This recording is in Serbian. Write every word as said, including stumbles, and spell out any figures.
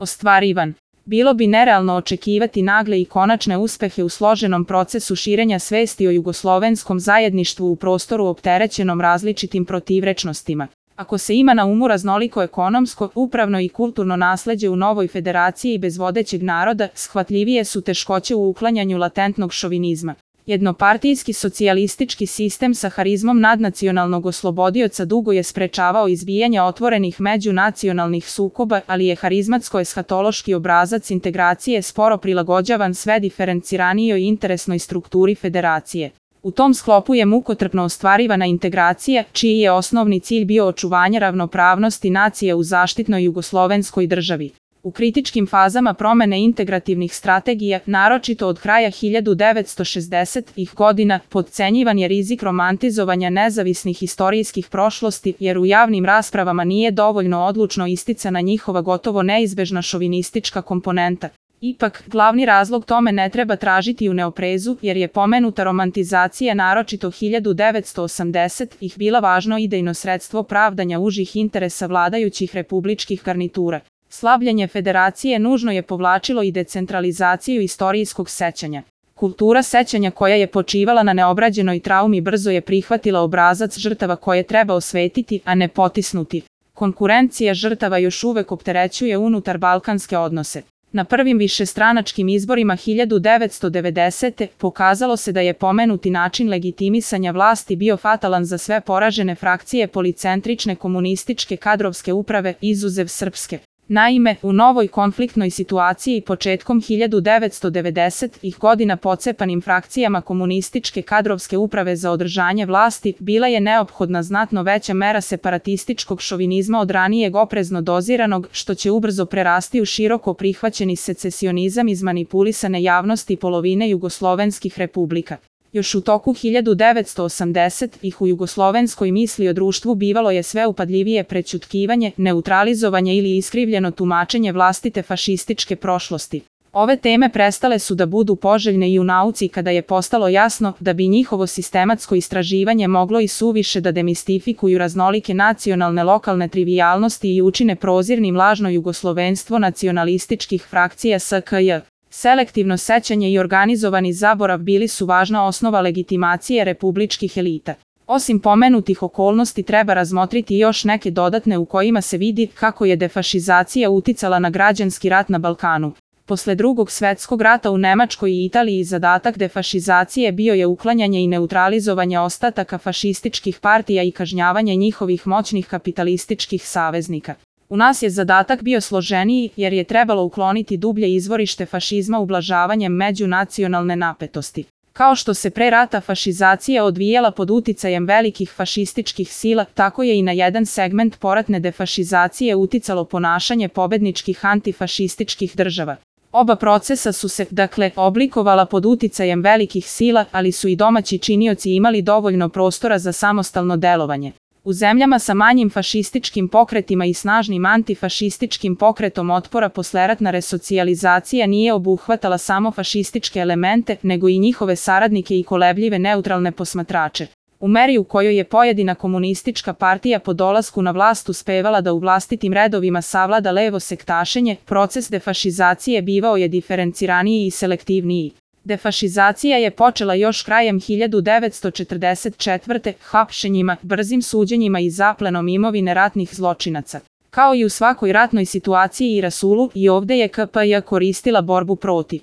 ostvarivan. Bilo bi nerealno očekivati nagle i konačne uspehe u složenom procesu širenja svesti o jugoslovenskom zajedništvu u prostoru opterećenom različitim protivrečnostima. Ako se ima na umu raznoliko ekonomsko, upravno i kulturno nasleđe u novoj federaciji bez vodećeg naroda, shvatljivije su teškoće u uklanjanju latentnog šovinizma. Jednopartijski socijalistički sistem sa harizmom nadnacionalnog oslobodioca dugo je sprečavao izbijanje otvorenih međunacionalnih sukoba, ali je harizmatsko-eshatološki obrazac integracije sporo prilagođavan sve diferenciranijoj interesnoj strukturi federacije. U tom sklopu je mukotrpno ostvarivana integracija, čiji je osnovni cilj bio očuvanje ravnopravnosti nacije u zaštitnoj jugoslovenskoj državi. U kritičkim fazama promene integrativnih strategija, naročito od kraja hiljadu devetsto šezdesetih godina, podcenjivan je rizik romantizovanja nezavisnih istorijskih prošlosti, jer u javnim raspravama nije dovoljno odlučno isticana njihova gotovo neizbežna šovinistička komponenta. Ipak, glavni razlog tome ne treba tražiti u neoprezu, jer je pomenuta romantizacija naročito hiljadu devetsto osamdesetih bila važno idejno sredstvo pravdanja užih interesa vladajućih republičkih garnitura. Slavljenje federacije nužno je povlačilo i decentralizaciju istorijskog sećanja. Kultura sećanja koja je počivala na neobrađenoj traumi brzo je prihvatila obrazac žrtava koje treba osvetiti, a ne potisnuti. Konkurencija žrtava još uvek opterećuje unutar balkanske odnose. Na prvim višestranačkim izborima hiljadu devetsto devedesete. pokazalo se da je pomenuti način legitimisanja vlasti bio fatalan za sve poražene frakcije policentrične komunističke kadrovske uprave, izuzev srpske. Naime, u novoj konfliktnoj situaciji početkom hiljadu devetsto devedesetih. godina pocepanim frakcijama komunističke kadrovske uprave za održanje vlasti bila je neophodna znatno veća mera separatističkog šovinizma od ranijeg oprezno doziranog, što će ubrzo prerasti u široko prihvaćeni secesionizam iz manipulisane javnosti polovine jugoslovenskih republika. Još u toku hiljadu devetsto osamdesetih. u jugoslovenskoj misli o društvu bivalo je sve upadljivije prećutkivanje, neutralizovanje ili iskrivljeno tumačenje vlastite fašističke prošlosti. Ove teme prestale su da budu poželjne i u nauci kada je postalo jasno da bi njihovo sistematsko istraživanje moglo i suviše da demistifikuju raznolike nacionalne lokalne trivijalnosti i učine prozirnim lažno jugoslovenstvo nacionalističkih frakcija S K J. Selektivno sećanje i organizovani zaborav bili su važna osnova legitimacije republičkih elita. Osim pomenutih okolnosti treba razmotriti još neke dodatne u kojima se vidi kako je defašizacija uticala na građanski rat na Balkanu. Posle Drugog svetskog rata u Nemačkoj i Italiji zadatak defašizacije bio je uklanjanje i neutralizovanje ostataka fašističkih partija i kažnjavanje njihovih moćnih kapitalističkih saveznika. U nas je zadatak bio složeniji jer je trebalo ukloniti dublje izvorište fašizma ublažavanjem međunacionalne napetosti. Kao što se pre rata fašizacija odvijala pod uticajem velikih fašističkih sila, tako je i na jedan segment poratne defašizacije uticalo ponašanje pobedničkih antifašističkih država. Oba procesa su se, dakle, oblikovala pod uticajem velikih sila, ali su i domaći činioci imali dovoljno prostora za samostalno delovanje. U zemljama sa manjim fašističkim pokretima i snažnim antifašističkim pokretom otpora posleratna resocijalizacija nije obuhvatala samo fašističke elemente, nego i njihove saradnike i kolebljive neutralne posmatrače. U meri u kojoj je pojedina komunistička partija po dolasku na vlast uspevala da u vlastitim redovima savlada levo sektašenje, proces defašizacije bivao je diferenciraniji i selektivniji. Defašizacija je počela još krajem hiljadu devetsto četrdeset četvrte. hapšenjima, brzim suđenjima i zaplenom imovine ratnih zločinaca. Kao i u svakoj ratnoj situaciji i rasulu, i ovde je K P J koristila borbu protiv